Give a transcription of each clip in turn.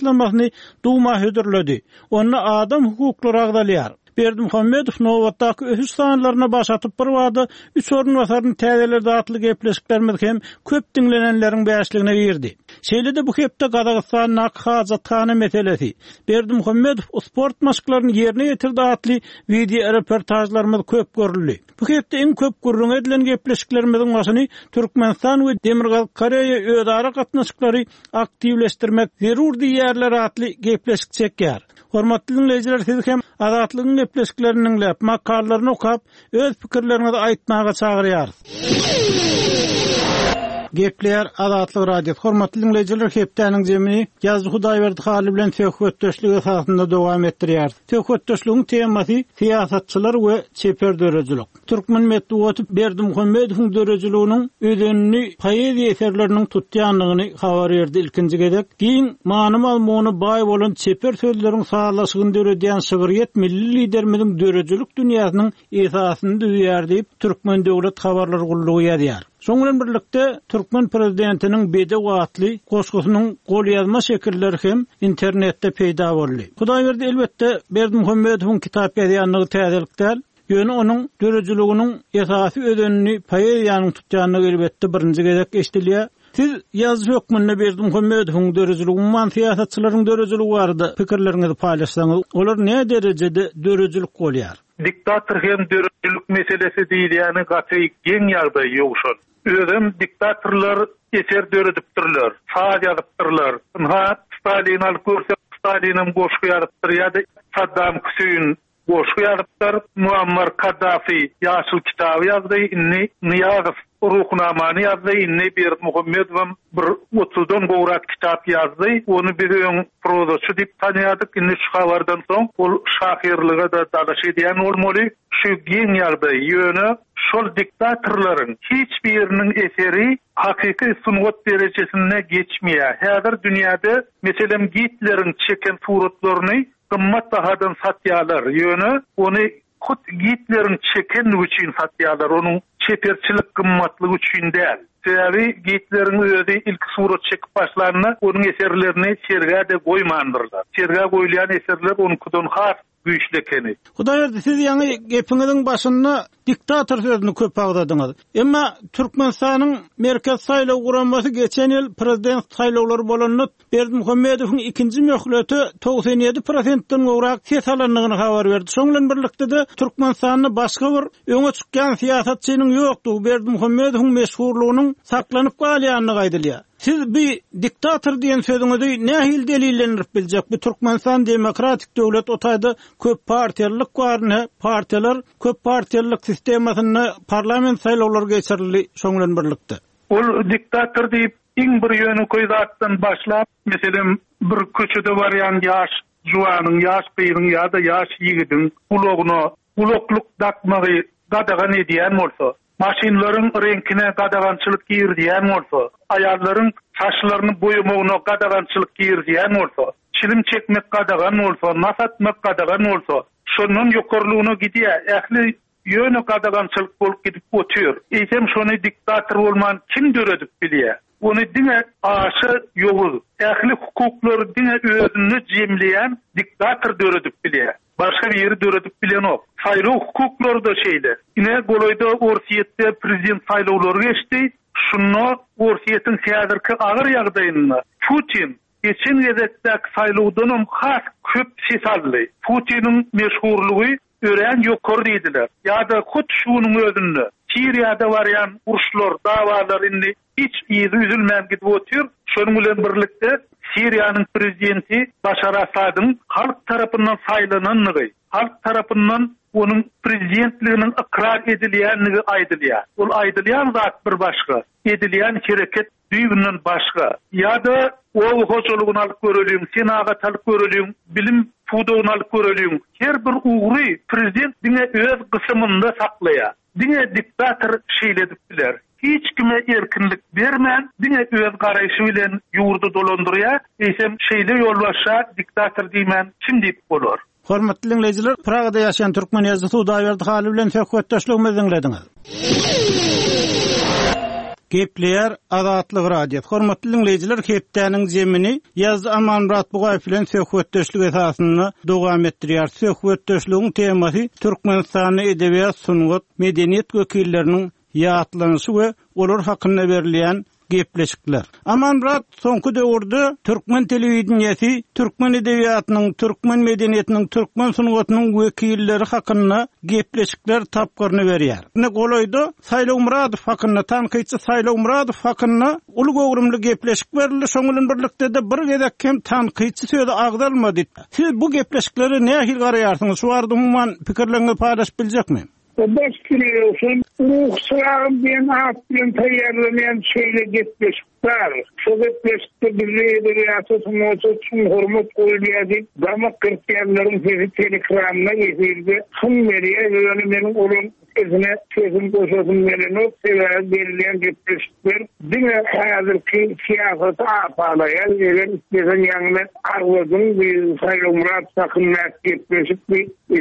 taslamasyny Duma hödürledi. Onda adam hukuklary agzalýar. Berdimuhamedow nobatdaky ösüş sanlaryna baş atyp birbada üç orunbasaryny täzeledi atly gepleşiklerimiz hem köp diňlenenleriň bäşligine girdi. Şeýle-de bu hepde Gazagystandaky hajathana meselesi, Berdimuhamedow sport maşklaryny ýerine ýetirdi atly wideoreportažlarymyz köp görüldi. Bu hepde iň köp gürrüňi edilen gepleşiklerimiziň başyny Türkmenistan we Demirgazyk Koreýa özara gatnaşyklary aktiwleşdirmek zerur diýýärler atly gepleşik çekýär. Hormatly diňleýjiler sizi hem Azatlygyň gepleşiklerini diňläp, makalalaryny okap, öz pikirleriňizi aýtmaga çagyrýarys. Gepleýär Azatlyk Radiosy. Hormatly diňleýjiler hepdäniň jemini ýazyjy Hudaýberdi Hally bilen söhbetdeşlik esasynda dowam etdirýäris. Söhbetdeşligiň temasy syýasatçylar we çeper döredijilik. Türkmen metbugaty Berdimuhamedowyň döredijiliginiň özenini poeziýa eserleriniň tutýandygyny habar berdi ilkinji gezek giň many-mazmuna baý bolan çeper sözleriň sazlaşygyny döredýän şygryýet milli Liderimiziň döredijilik dünýäsiniň esasyny düzýär diýip, Türkmen döwlet habarlar gullugy ýazýar. Şonuň bilen birlikde, türkmen prezidentiniň Bedew atly goşgusynyň golýazma şekilleri hem internetde peýda boldy. Hudaýberdi, elbetde, Berdimuhamedowyň kitap ýazýandygy täzelik däl. Ýöne onuň döredijiliginiň esasy özenini poeziýanyň tutýandygy elbetde birinji gezek eşidilýär. Siz ýazyjy hökmünde Berdimuhamedowyň döredijiligi, umuman syýasatçylaryň döredijiligi barada pikirleriňizi paýlaşsaňyz, olar näderejede döredijilik bolýar? Diktator hem döredijilik meselesi diýilýäni gaty geň ýagdaý Ýowşan. Özem diktatorlar eser döredipdirler, saz ýazypdyrlar. Ynha, Stalini alyp görsek, Stalinem goşgy ýazypdyr ýa-da Saddam Hüseýin Goşgy ýazypdyr. Muammar Kaddafi Ýaşyl kitaby ýazdy, indi Nyýazow Ruhnamany ýazdy, indi Berdimuhamedowam bir otuzdan gowrak kitap ýazdy. Ony biz öň prozaçy diýip tanýardyk, indi şu habardan soň ol şahyrlyga-da dalaş edýän bolmaly. Şu geň ýagdaý. Ýöne şol diktatorlaryň hiç biriniň eseri hakyky sungat derejesinde geçmeýär. Häzir dünýäde, meselem, Gitleriň çeken suratlaryny Gymmat bahadan satýarlar, ýöne ony hut Gitleriň çekenligi üçin satýarlar, onuň çeperçilik gymmatlygy üçin däl. Sebäbi Gitleriň özi ilki surat çekip başlanda, onuň eserlerini sergä-de goýmandyrlar. Sergä goýulýan eserler onuňkydan has güýçli ekeni. Hudaýberdi, siz ýaňy gepiňiziň başynda diktator sözüni köp agzadyňyz. Emma Türkmenistanyň Merkezi saýlaw guramasy geçen ýyl prezident saýlawlary bolanda Berdimuhamedowyň ikinji möhlete 97 prosentden gowrak ses alandygyny habar berdi. Şonuň bilen birlikde-de, Türkmenistanda başga bir öňe çykýan syýasatçynyň ýokdugy, Berdimuhamedowyň meşhurlygynyň saklanyp galýandygy aýdylýar. Siz bi diktator diýen sözüňizi nähili delillendirip biljek? Bu Türkmenistan demokratik döwlet, o taýda köp partiýalylyk bar, ine, partiýalar köp partiýalylyk sistemasynda parlament saýlawlary geçirildi şonuň bilen birlikde. Ol diktator diýip, iň bir ýönekeý zatdan başlap, meselem, bir köçede barýan ýaş juwanyň, ýaş gyzyň ýa-da ýaş ýigidiň gulagyna gulaklyk dakmagy gadagan edýän bolsa, maşynlaryň reňkine gadagançylyk girizýän bolsa, aýallaryň saçlaryny boýamagyna gadagançylyk girizýän bolsa, çilim çekmek gadagan bolsa, nas atmak gadagan bolsa, şondan ýokarlygyna gidýär. Ähli Ýöne gadagançylyk bolup gidip otyr. Eýsem şony diktator bolman kim döredip bilýär? Ony diňe aşa ýowuz, ähli hukuklary diňe özünde jemleýän diktator döredip bilýär. Başga biri döredip bilenok. Saýlaw hukuklary-da şeýle. Ine golaýda Orsýetde prezident saýlawlary geçdi. Şunda Orsýetiň häzirki agyr ýagdaýynda Putin geçen gezekdäki saýlawdanam has köp ses aldy. Putiniň meşhurlygy örän ýokary diýdiler. Ýa-da hut şu günüň özünde Siriýada barýan uruşlar, dawalar indi hiç yzy üzülmän gidip otyr. Şonuň bilen birlikde Siriýanyň prezidenti Başar Asadyň halk tarapyndan saýlanandygy, halk tarapyndan onuň prezidentliginiň ykrar edilýändigi aýdylýar. Ol aýdylýan zat bir başga, edilýän hereket düýbünden başga. Ýa-da oba hojalygyny alyp göreliň, senagaty alyp göreliň, bilim pudagyny alyp göreliň. Her bir ugry prezident diňe öz gysymynda saklaýar. Diňe diktator şeýle edip biler. Hiç kime erkinlik bermän, diňe öz garaýşy bilen ýurdy dolandyrýar. Eýsem, şeýle ýolbaşça diktator diýmän kim diýip bolar? Hormatly diňleýjiler, Pragada ýaşaýan türkmen ýazyjysy Hudaýberdi Haly bilen söhbetdeşligimizi diňlediňiz. Gepleýär Azatlyk Radiosy. Hormatly diňleýjiler, hepdäniň zemini ýazyjy Amanmyrat Bugaýew bilen söhbetdeşlik esasynda dowam etdirýär. Söhbetdeşligiň temasy Türkmenistanda edebiýat, sungat, medeniýet wekilleriniň ýatlanyşy we olar hakynda berilýän gepleşikler. Amanmyrat, soňky döwürde türkmen telewideniýesi türkmen edebiýatynyň, türkmen medeniýetiniň, türkmen sungatynyň wekilleri hakynda gepleşikler tapgyryny berýär. Ine, golaýda Saýlaw Myradow hakynda, tankytçy Saýlaw Myradow hakynda uly göwrümli gepleşik berildi, şoň bilen birlikde-de bir gezek hem tankytçy sözi agzalmady. Siz bu gepleşiklere nähili garaýarsyňyz? Şu barada umuman pikirleriňizi paýlaşyp biljekmi? Baş Ýogsa Ruhy çyragym diýen at bilen taýýarlanýan şeýle gepleşik bar. Şo gepleşikde bizde edebiýata, sungata çuň hormat goýulýar diýip, damak gyrpýanlaryň sesi telekranda, efirde hyň berýär. Ýöne meniň olaryň sesine sesim goşasym gelenok, sebäbi berilýän gepleşikler diňe häzirki syýasaty apalaýar. Eger isleseň ýaňyny agzadyň, bi Saýlawmyrat hakyndaky gepleşik bi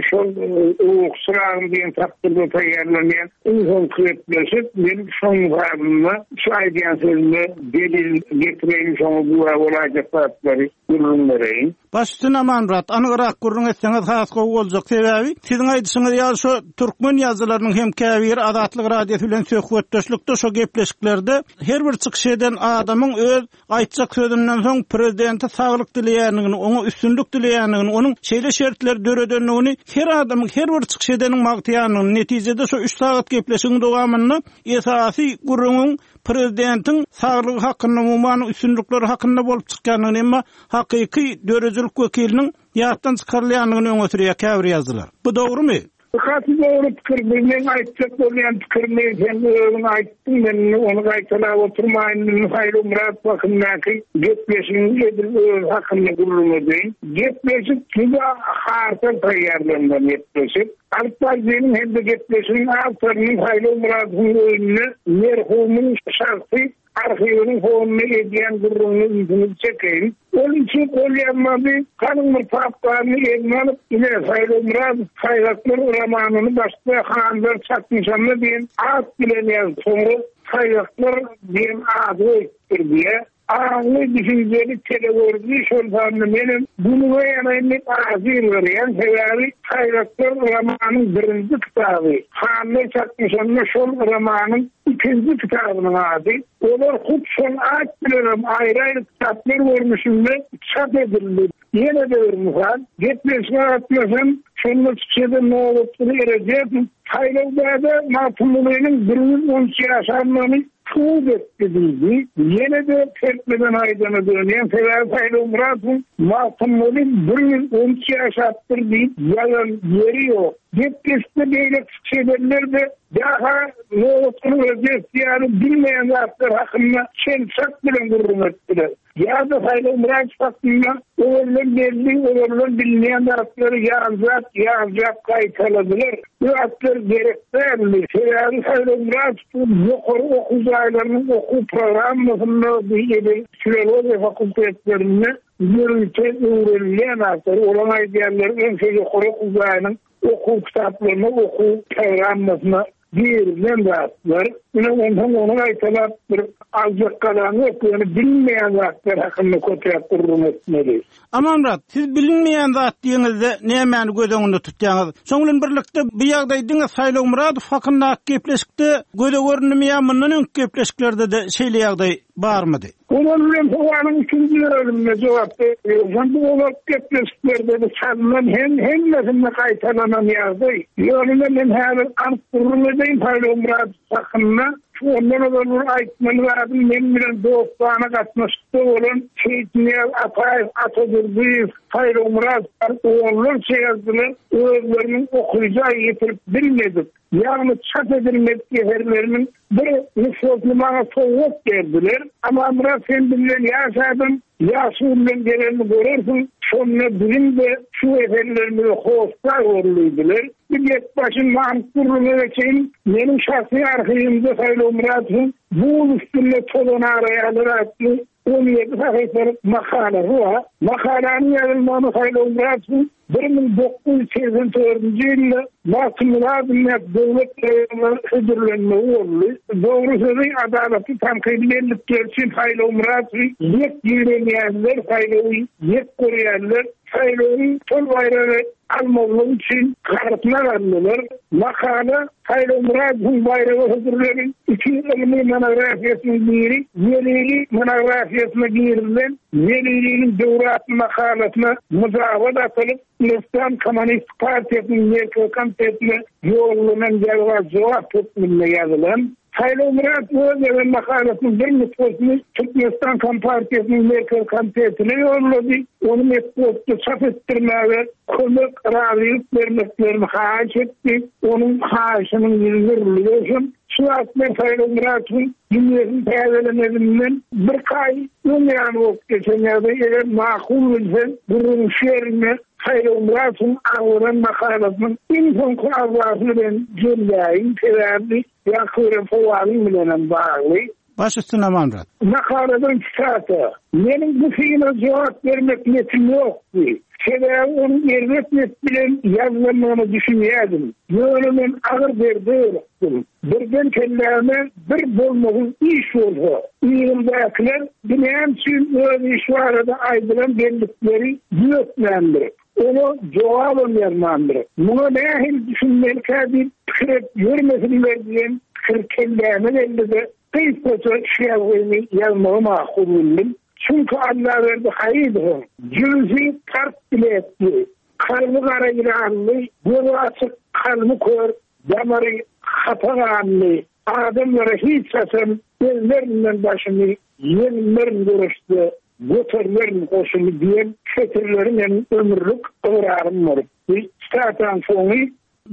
Şol Ruhy çyragym diýen tapgyrda taýýarlanýan iň soňky gepleşik. Men şoň mysalynda şu aýdýan sözüme delil getireýin, şoňa güwä bolaýjak zatlary gürrüň bereýin. Baş üstüne Amanmyrat, anygrak gürrüň etseňiz has gowy boljak. Sebäbi siziň aýdyşyňyz ýaly şo türkmen ýazyjylarynyň hem käbiri Azatlyk Radiosy bilen söhbetdeşlikde şo gepleşiklerde her bir çykyş eden adamyň öz Aýtjak sözünden soň prezidente saglyk dileýändigini, oňa üstünlik dileýändigini, onuň şeýle şertleri döredendigini her adamyň, her bir çykyş edeniň magtaýandygyny, netijede şo üç sagat gepleşigiň dowamynda esasy gürrüňiň prezidentiň saglygy hakynda, umuman üstünlikleri hakynda bolup çykýandygyny, emma hakyky döredijilik wekiliniň ýatdan çykarylýandygyny öňe sürýär käbir ýazyjylar. Bu dogrumy? Gaty dogry pikir bu meň aýtjak bolýan pikirimi sen özüň aýtdyň men indi ony gaýtalap oturmaýyn indi Saýlaw Myrat hakyndaky gepleşigiň edil özi hakynda gürrüň edeýin. Gepleşik juda hartal taýýarlanylan gepleşik. Alyp baryjynyň hem-de gepleşigiň awtorynyň Saýlaw Myradowyň öýünde merhumyň şahsy Arhiwiniň fonunda edýän gürrüňine ünsüňizi çekeýin. Ol üçin golýazmany galyň bir papkany eline alyp, ine, Saýlaw Myradow Saýgaklar romanyny başda Hanlar çaknyşanda diýen at bilen ýazyp, soňra Saýgaklar diýen ady goýupdyr diýýär. Aňly, düşünjeli telegörüji, şol sanda menem günüňe ýanaýyn diýip ajy ýylgyrýan. Sebäbi Saýgaklar romanyň birinji kitaby, Hanlar çaknyşanda şol romanyň Ikinji kitabynyň ady. Olar hut şol at bilenem aýry-aýry kitaplar görnüşinde çap edildi. Ýene-de bir mysal, gepleşige gatnaşan, şonda çykyş eden Nobatguly Erejepow Saýlawdada Magtymgulynyň 113 ýaşandygyny subut etdi diýdi. Ýene-de serpmeden aýdana dönýän, sebäbi Saýlaw Myradowyň Magtymguly 113 ýaşapdyr diýip ýazan ýeri ýok. Gepleşikde beýleki çykyş edenler-de Ýa-ha Nobatguly Rejep ýaly bilmeýän zatlar hakynda çen-çak bilen gürrüň etdiler. Ýa-da Saýlaw Myradow hakynda ozaldan belli, ozaldan bilinýän zatlary ýanjap, ýanjap gaýtaladylar. Bu zatlar gerek däldi. Sebäbi Saýlaw Myradow ýokary okuw jaýlarynyň okuw programmasynda, bu edil filologiýa fakultetlerinde ýörite öwrenilýän zatlar. Olaryň aýdýanlary öňki ýokary okuw jaýynyň okuw kitaplaryna, okuw programmasyna girizilen zatlar. Ine, onsoň ony gaýtalap bir aljak galan ýok, ýöne bilinmeýän zatlar hakynda köpräk gürrüň etmeli. Amanmyrat, siz bilinmeýän zat diýeňizde nämäni göz öňünde tutýaňyz? Şoň bilen birlikde bu ýagdaý diňe Saýlaw Myradow hakyndaky gepleşikde göze göründimi ýa mundan öňki gepleşiklerde-de şeýle ýagdaý barmydy? Olar bilen sowalyň ikinji bölüminde jogap berýän. Bu ozalky gepleşiklerde-de çalynan hem hemmesinde gaýtalanan ýagdaý. Ýöne men häzir anyk gürrüň edeýin Saýlaw Myradow hakynda. Şu ondan ozal bir aýtmaly zadym meň bilen dostana gatnaşykda bolan Seýitnyýaz Ataýew, Ata Durdyýew, Saýlaw Myradow onlarça ýazdylar, özleriniň okyja ýetirip bilmedik. Ýagny çap edilmedik eserleriniň bir nusgasyny maňa sowgat berdiler. Amanmyrat sen bizden ýaş adam, ýagşy günleň gelenini görersiň, şonda biziň-de şu eserlerimize hossar bol diýdiler. Bir gep başyn anyk gürrüňe geçeýin, meniň şahsy arhiwimde Saýlaw Myradowyň Buz üstünde tozan araýarlar atly. 17 sahypalyk makalasy bar. Makalanyň ýazylmagyna Saýlaw Myradowyň 1984-nji ýylda Magtymguly adyndaky döwlet baýragyna hödürlenmegi boldy. Dogry sözi adalatly tankydy bellikleri üçin Saýlaw Myradowy ýek ýigrenýänler, Saýlawy ýek görýänler Saýlawyň şol baýragy almazlygy üçin garyplar aldylar. Makala Saýlaw Myradowyň baýraga hödürlenen iki ylmy monografiýasynyň biri Zelili monografiýasyna girizilen Zeliliniň döwri atly makalasyna myjabat atylyp, Türkmenistan Kommunistik partiýasynyň Merkezi komitetine ýollanan ýazga jogap hökmünde ýazylan. Saýlaw Myrat öz ýazan makalasynyň bir nusgasyny Türkmenistan Kompartiýasynyň Merkezi komitetine ýollady, ony metbugatda çap etdirmäge kömek, razylyk bermeklerini haýyş etdi. Onuň haýyşynyň ýüzi nurly bolsun. Şu wagt men Saýlaw Myratowyň dünýesini täzelemezinden birki aý öň ýany bolup geçen ýagdaý, eger makul bilseň, gürrüňiň şu ýerinde Saýlaw Myratowyň agzalan makalasynyň iň soňky agzasy bilen jemläýin, sebäbi Ýaňky beren sowalyň bilenem bagly. Baş üstüne Amanmyrat. Makaladan sitata, Meniň bu syna jogap bermek netim ýokdy. Sebäbi onuň erbet net bilen ýazylandygyna düşünýärdim. Ýöne men agyr derde ýolukdym. Birden kelläme bir bolmasyz iş bolsa, yzymdakylar bu näme üçin öz işi barada aýdylan bellikleri düzetmändir? Oňa jogabam ýazmandyr. Muňa nähili düşünmelikä diýip pikir edip ýörmesinler diýen pikir kelläme geldi-de, gysgaça şu ýazgyny ýazmagy makul bildim. Çünki Allaberdi Haýydowyň jübüsi part biletli, kalby gara ýylanly, gözi açyk, kalby kör, damary hapa ganly adamlara hiç haçan ezmerinden başymy ýeňmerin göreşde Göterilerin goşuny diýen setirleri meniň ömürlik ygrarym bolupdy. Sitataň soňy.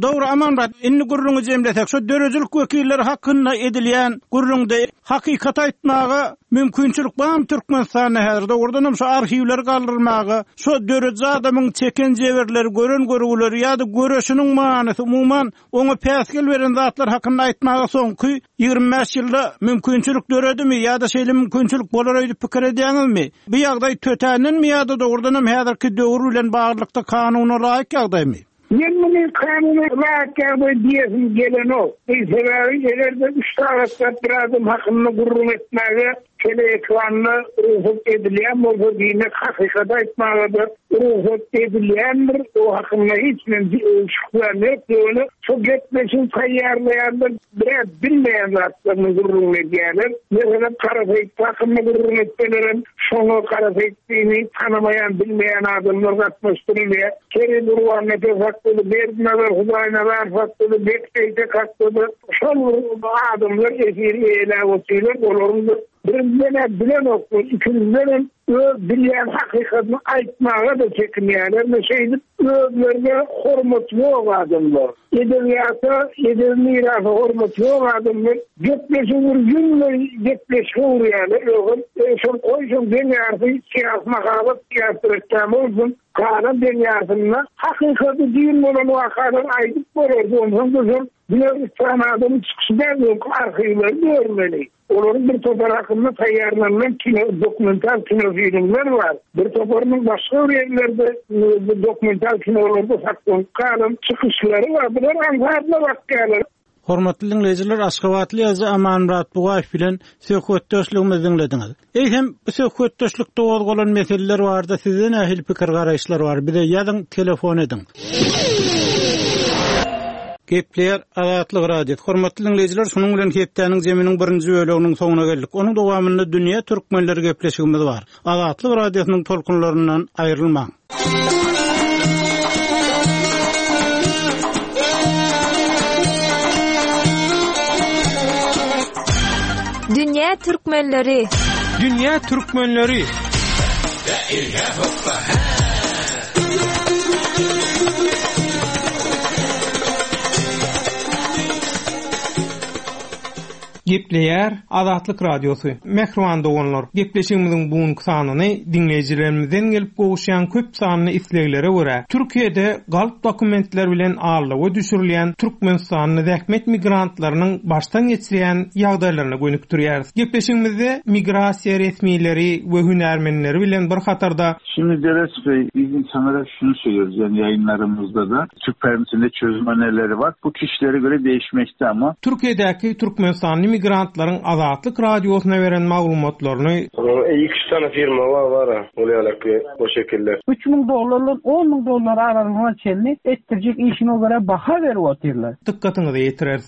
Dogry Amanmyrat, indi gürrüňi jemlesek, şu döredijilik wekilleri hakynda edilýän gürrüňde hakykaty aýtmaga mümkinçilik barmy Türkmenistanda häzir? Dogrudanam şu arhiwleri galdyrmaga, şu dörediji adamyň çeken jebirleri, gören görgüleri ýa-da göreşiniň manysy umuman Oňa päsgel beren zatlar hakynda aýtmaga soňky 25 ýylda mümkinçilik döredimi ýa-da şeýle mümkinçilik bolar öýdüp pikir edýäňizmi? Bu ýagdaý tötändenmi ýa-da dogrudanam häzirki döwür bilen baglylykda kanuna laýyk ýagdaýmy? Men muny kanuna laýyk ýagdaý diýesim gelenok. Sebäbi eger-de üç sagatlap bir adam hakynda gürrüň etmäge Teleekranda rugsat edilýän bolsa, diýmek, hakykaty aýtmaga-da rugsat edilýändir. O hakynda hiç men şübhäm ýok. Ýöne şo gepleşigi taýýarlaýanlar biraz bilmeýän zatlaryny gürrüň edýärler. Meselem, Gara Seýitli hakynda gürrüň etselerem, şoňa Gara Seýitlini tanamaýan, bilmeýän adamlar gatnaşdyrylýar. Kerim Gurbannepes hakda-da, Berdinazar Hudaýnazarow hakda-da, Bek Seýtek hakda-da Şol bir adamlar efiri eýeläp otyrlar, olaryň bir birinjiden-ä bilenoklar, ikinjidenem öz bilýän hakykatyny aýtmaga-da çekinýärler, ine şeýdip özlerine hormat ýok adamlar, edebiýata, edebi mirasa hormat ýok adamlar gepleşigi bir ýüňleý gepleşige öwürýärler, ýogsam şol goý şoň deň ýarysy syýasy mahabat, syýasy reklama bolsun, galan deň ýarysynda hakykaty düýn bolan wakalary aýdyp bolardy, onsoň-da şol Diňe üç sany adamyň çykyşy däl, öňki arhiwleri görmeli. Olaryň bir topary hakynda taýýarlanylan kino, dokumental kinofilmler bar. Bir toparynyň başga bir ýerlerde dokumental kinolarda saklanyp galan çykyşlary bar. Bular aňsatla bakýarlar. Hormatly diňleýjiler, aşgabatly ýazyjy Amanmyrat Bugaýew bilen söhbetdeşligimizi diňlediňiz. Eýsem, bu söhbetdeşlikde gozgalan meseleler barada sizde nähili pikir-garaýyşlar bar? Bize ýazyň, telefon ediň. Gepleýär Azatlyk Radiosy. Hormatly diňleýjiler, şunuň bilen hepdäniň zeminiň birinji böleginiň soňuna geldik. Onuň dowamynda Dünýä türkmenleri gepleşigimiz bar. Azatlyk Radiosynyň tolkunlaryndan aýrylmaň. Dünýä türkmenleri. Dünýä türkmenleri. Gepleýär Azatlyk Radiosy. Mähriban doganlar, gepleşigimiziň bu günki sanyny diňleýjilerimizden gelip gowuşýan köp sanly isleglere görä, Türkiýede galp dokumentler bilen aldawa düşürilýän türkmenistanly zähmet migrantlarynyň başdan geçirýän ýagdaýlaryna gönükdirýäris. Gepleşigimizde migrasiýa resmileri we hünärmenleri bilen bir hatarda, Şimdi Deret Bey, biz insanlara şunu söylüyoruz yani yayınlarımızda da Türk permisinde çözüm önerileri var. Bu kişilere göre değişmekte ama. Türkiýedäki türkmenistanly migrantlaryň Azatlyk Radiosyna beren maglumatlaryny, Iki-üç sany firma bar bar-a, ol ýalaky o şekilde. 3000 dollardan 10 müň dollar aralygyna çenli etdirjek işiňe görä baha berip otyrlar. Dykgatyňyza ýetireris.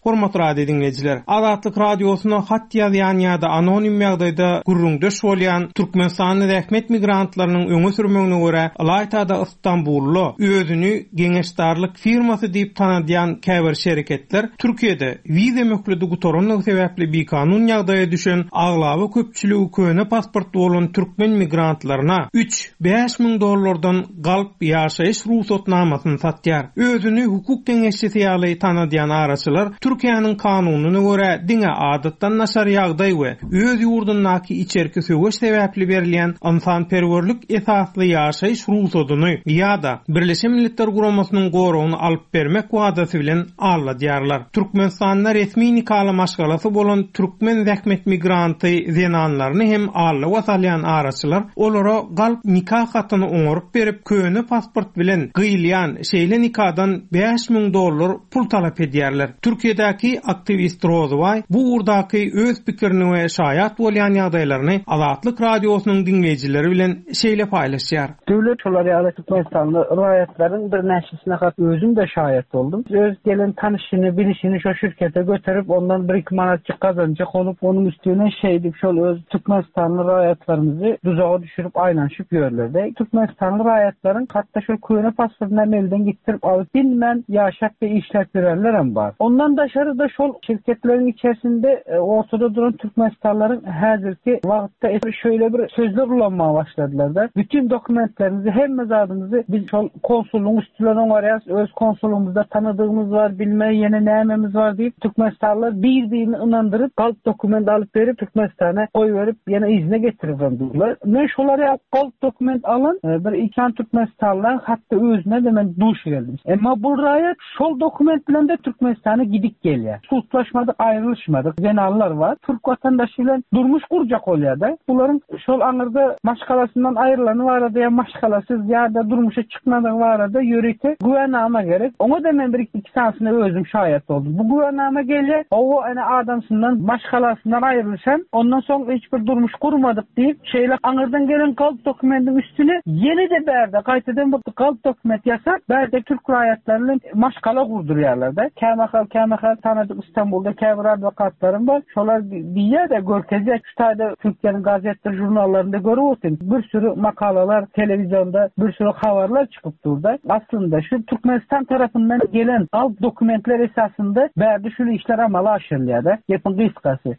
Hormatly radio diňleýjiler! Azatlyk Radiosyna hat ýazýan ýa-da anonim ýagdaýda gürrüňdeş bolýan türkmenistanly zähmet migrantlarynyň öňe sürmegine görä, ylaýta-da Stambulda özüni geňeşdarlyk firmasy diýip tanadýan käbir şereketler Türkiýede wiza möhleti gutarandygy sebäpli bikanun ýagdaýa düşen aglaba köpçüligi köne pasportly bolan türkmen migrantlaryna üç, 5000 dollardan galp ýaşaýyş rugsatnamasyny satýar. Özüni hukuk geňeşçisi ýaly tanadýan araçylar Türkiýäniň kanunyna görä diňe adatdan daşary ýagdaý we öz ýurdundaky içerki söweş sebäpli berilýän ynsanperwerlik esasly ýaşaýyş rugsadyny ýa-da Birleşen Milletler Guramasynyň goragyny alyp bermek wadasy bilen alladýarlar. Türkmenistanda resmi nikaly maşgalasy bolan türkmen zähmet migranty zenanlaryny hem aldawa salýan araçylar olara galp nika hatyny oňaryp berip, köne pasport bilen gyýylýan şeýle nikadan 5000 dollar pul talap edýärler. Türkiýedäki aktiwist Rozybaý bu ugurdaky öz pikirini we şaýat bolýan ýagdaýlaryny Azatlyk Radiosynyň diňleýjileri bilen şeýle paýlaşýar. Döwlet şolar ýaly türkmenistanly raýatlaryň birnäçesine hat özüm-de şaýat boldum. Öz gelen tanyşyny, bilişini şo şirkete göterip, ondan bir-iki manatjyk gazanjak bolup, onuň üstüne şeýdip şol öz türkmenistanly raýatlarymyzy duzaga düşürip aýlanyşyp ýörler-de. Türkmenistanly raýatlaryň hatda şol köne pasportyny hem elden gitdirip alyp bilmän ýaşap we işläp ýörenlerem bar. Ondan daşary-da şol şirketleriň içerisinde ortada duran türkmenistanlylaryň häzirki wagt Şeýle bir sözler ulanmaga başladylar-da, Bütin dokumentlerimizi, hemme zadymyzy biz şol konsullygyň üsti bilen oňarýarys, öz konsullygymyzda tanadygymyz bar, bilme ýene nämemiz bar diýip, türkmenistanlylar bir-birini ynandyryp, galp dokument alyp berip, Türkmenistana goýberip, ýene yzyna getiribem durlar. Men şolar ýaly galp dokument alan bir iki sany türkmenistanlylaryň hatda özüne-de men duş geldim. Emma bu raýat Şol dokument bilen-de Türkmenistana gidip gelýär. Sudlaşmadyk, aýrylyşmadyk zenanlar bar. Türk watandaşy bilen durmuş gurjak bolýar-da. Bularyň şol aňyrda maşgalasyndan aýrylany barada ýa maşgalasyz ýa-da durmuşa çykmadygy barada ýörite güwänama gerek. Oňa-da men bir-iki sanysyna özüm şaýat boldum. Bu güwänama gelýär, hawa, ene adamsyndan, maşgalasyndan aýrylyşan, ondan soň hiç bir durmuş gurmadyk diýip, Şeýle aňyrdan gelen galp dokumentiň üstüne ýene-de bärde gaýtadan bir galp dokument ýasap, bärde türk raýatlary bilen maşgala gurdurýarlar-da. Kämahal, kämahal tanadyk Istanbulda käbir adwokatlarym bar. Şolar diýýär-de, görkezýär, şu taýda türkleriň gazetdir, žurnallarynda görüp otyryn. Bir süri makalalar, telewizionda bir süri habarlar çykyp dur-da. Aslynda şu Türkmenistan tarapyndan gelen galp dokumentler esasynda bärde şul işler amala aşyrylýar-da. Gepiň gysgasy.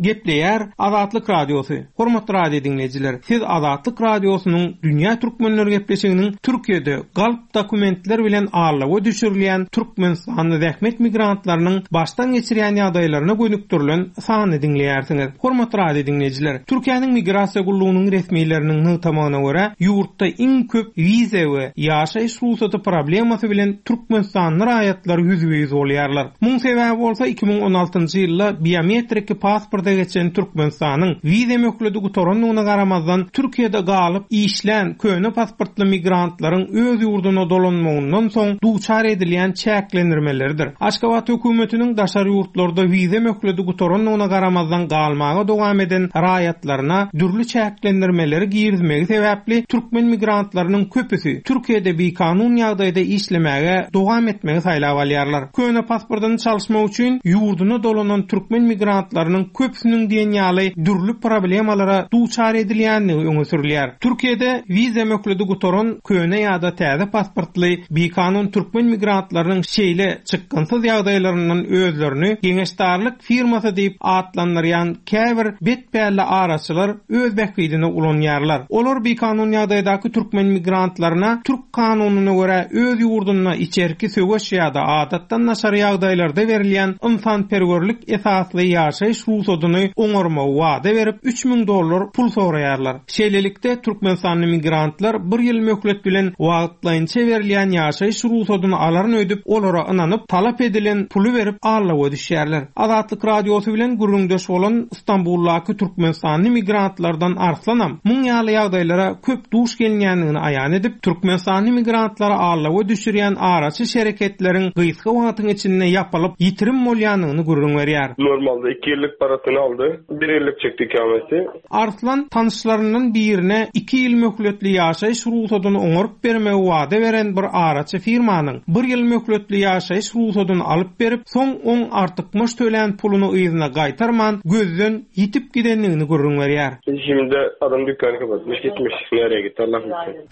Gepleýär Azatlyk Radiosy. Hormatly radio diňleýjiler, siz Azatlyk Radiosynyň Dünýä Türkmenleri gepleşiginiň Türkiýede galp dokumentler bilen aldawa düşürilýän türkmenistanly zähmet migrantlarynyň başdan geçirýän ýagdaýlaryna gönükdirilen sanyny diňleýärsiňiz. Hormatly radio diňleýjiler, Türkiýäniň Migrasiýa gullugynyň resmileriniň nygtamagyna görä, ýurtda iň köp wiza we ýaşaýyş rugsady problemasy bilen türkmenistanly raýatlar ýüzbe-ýüz bolýarlar. Muň sebäbi bolsa 2016-njy ýylda biometriki pasporta geçen Türkmenistanyň wiza möhledi gutarandygyna garamazdan Türkiýede galyp işlän köne pasportly migrantlaryň öz ýurduna dolanmagyndan soň duçar edilýän çäklendirmeleridir. Aşgabat hökümetiniň daşary ýurtlarda wiza möhledi gutarandygyna garamazdan galmaga dowam eden raýatlaryna dürli çäklendirmeleri girizmegi sebäpli türkmen migrantlarynyň köpüsi Türkiýede bikanun ýagdaýda işlemäge dowam etmegi saýlap alýarlar. Köne pasportyny çalyşmak üçin ýurduna dolanan türkmen migrantlarynyň köpüsiniň. köpüsiniň diýen ýaly dürli problemalara duçar edilýändigi öňe sürülýär. Türkiýede wiza möhledi gutaran köne ýa-da täze pasportly bikanun türkmen migrantlarynyň şeýle çykgynsyz ýagdaýlaryndan özlerini geňeşdarlyk firmasy diýip atlandyrýan käbir betpälli araçylar öz bähbidine ulanýarlar. Olar bikanun ýagdaýdaky türkmen migrantlaryna türk kanunyna görä öz ýurdunda içerki söweş ýa-da adatdan daşary ýagdaýlarda berilýän ynsanperwerlik esasly ýaşaýyş rugsadyny oňarmagy wada berip, 3000 dollar pul soraýarlar. Şeýlelikde, türkmenistanly migrantlar bir ýyl möhlet bilen wagtlaýynça berilýän ýaşaýyş rugsadyny alaryn öýdüp, olara ynanyp, talap edilen puly berip, aldawa düşýärler. Azatlyk Radiosy bilen gürrüňdeş bolan Stambuldaky türkmenistanly migrantlardan Arslanam muň ýaly ýagdaýlara köp duş gelinýändigini aýan edip, türkmenistanly migrantlary aldawa düşürýän araçy şereketleriň gysga wagtyň içinde ýapylyp, ýitirim bolýandygyny gürrüň berýär. Normalde iki ýyllyk parasyny aldy. Bir ýyllyk çekdi ikameti. Arslan tanyşlaryndan birine iki ýyl möhletli ýaşaýyş rugsadyny oňaryp bermegi wada beren bir araçy firmanyň bir ýyl möhletli ýaşaýyş rugsadyny alyp berip, soň oň artykmaç tölän puluny yzyna gaýtarman, gözden ýitip gidendigini gürrüň berýär. Şimdi adam dükkanı kapatmış gitmiş. Nereye gitti Allah bilsin.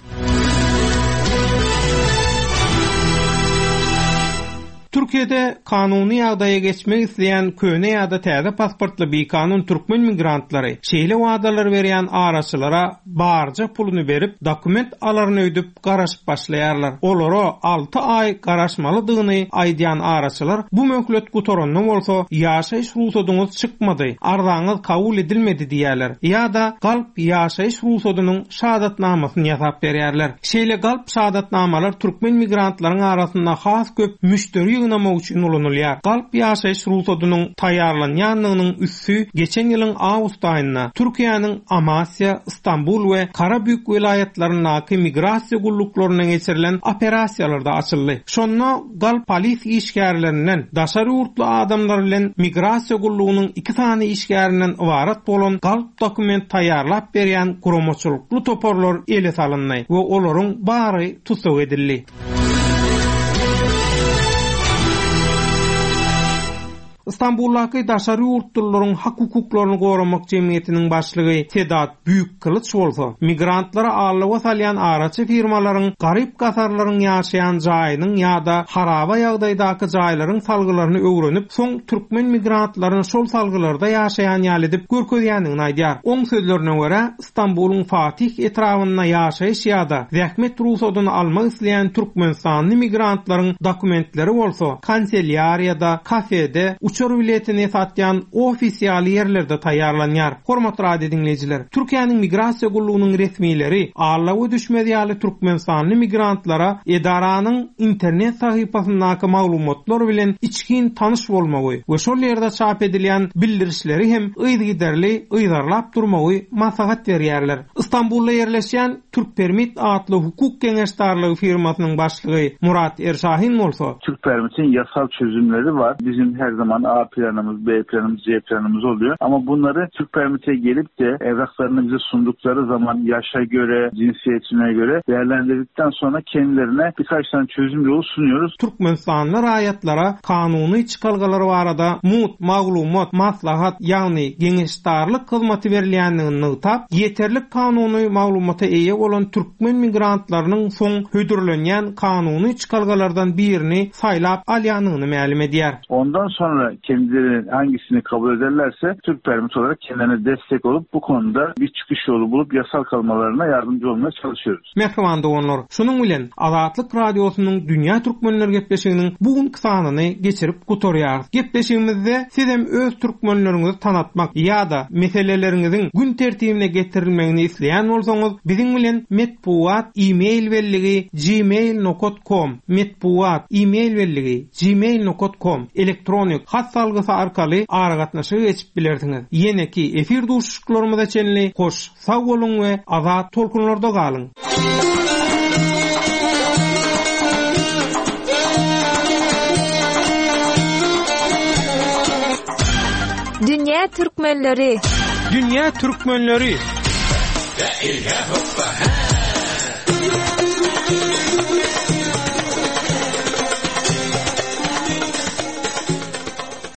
Türkiýede kanuny ýagdaýa geçmek isleýän köne ýa-da täze pasportly bikanun türkmen migrantlary şeýle wadalar berýän araçylara barja puluny berip, dokument alaryn öýdüp garaşyp başlaýarlar. Olara alty aý garaşmalydygyny aýdýan araçylar bu möhlet gutaranda bolsa ýaşaýyş rugsadyňyz çykmady, arzaňyz kabul edilmedi diýýärler ýa-da galp ýaşaýyş rugsadynyň şahadatnamasyny ýasap berýärler. Şeýle galp şahadatnamalar türkmen migrantlaryň arasynda has köp müşderi ýygnamak üçin ulanylýar. Galp ýaşaýyş rugsadynyň taýýarlanýandygynyň üsti geçen ýylyň awgust aýynda Türkiýäniň Amasýa, Stambul we Karabük welaýatlaryndaky migrasiýa gulluklarynda geçirilen operasiýalarda açyldy. Şonda galp polis işgärlerinden, daşary ýurtly adamlar bilen migrasiýa gullugynyň iki sany işgärinden ybarat bolan galp dokument taýýarlap berýän guramaçylykly toparlar ele salyndy we olaryň bary tussag edildi. Stambuldaky daşary ýurtlylaryň hak-hukuklaryny goramak jemgyýetiniň başlygy Sedat Büýükkylyç bolsa, migrantlary aldawa salýan araçy firmalaryň garyp-gasarlaryň ýaşaýan jaýynyň ýa-da haraba ýagdaýdaky jaýlaryň salgylaryny öwrenip, soň türkmen migrantlaryny şol salgylarda ýaşaýan ýaly edip görkezýändigini aýdýar. Oň sözlerine görä, Stambulyň Fatih etrabynda ýaşaýyş ýa-da zähmet rugsadyny almak isleýän türkmenistanly migrantlaryň dokumentleri bolsa kanselýariýada, kafede, uçar biletini satýan ofis ýaly ýerlerde taýýarlanýar. Hormatly radio diňleýjiler, Türkiýäniň Migrasiýa gullugynyň resmileri aldawa düşmez ýaly türkmenistanly migrantlara edaranyň internet sahypasyndaky maglumatlar bilen içgin tanyş bolmagy we şol ýerde çap edilýän bildirişleri hem yzygiderli yzarlap durmagy maslahat berýärler. Stambulda ýerleşýän Türkpermit atly hukuk geňeşdarlygy firmasynyň başlygy Murat Erşahin bolsa, Türkpermit'in yasal çözümleri var. Bizim her zaman A planımız, B planımız, C planımız oluyor. Ama bunları Türkpermit'e gelip de evraklarını bize sundukları zaman yaşa göre, cinsiyetine göre değerlendirdikten sonra kendilerine birkaç tane çözüm yolu sunuyoruz. Türkmenistanly raýatlara kanuny çykalgalar barada mugt maglumat, maslahat, ýagny geňeşdarlyk hyzmaty berilýändigini nygtap, ýeterlik kanuny maglumata eýe bolan türkmen migrantlarynyň soň hödürlenýän kanuny çykalgalardan birini saýlap alýandygyny mälim edýär. Ondan sonra kendileri hangisini kabul ederlerse Türkpermit olarak kendilerine destek olup bu konuda bir çıkış yolu bulup yasal kalmalarına yardımcı olmaya çalışıyoruz. Mähriban doganlar, şunuň bilen Azatlyk Radiosynyň Dünýä Türkmenleri gepleşiginiň bu günki sanyny geçirip gutarýarys. Gepleşigimizde sizem öz türkmenleriňizi tanatmak ýa-da meseleleriňiziň gün tertibine getirilmegini isleýän bolsaňyz, biziň bilen metbugat e-mail belligi gmail nokat kom, metbugat e-mail belligi gmail nokat kom elektronik hat salgysy arkaly aragatnaşyga geçip bilersiňiz. Ýeneki efir duşuşyklarymyza çenli hoş Sag boluň we azat tolkunlarda galyň! Dünýä türkmenleri! Dünýä türkmenleri!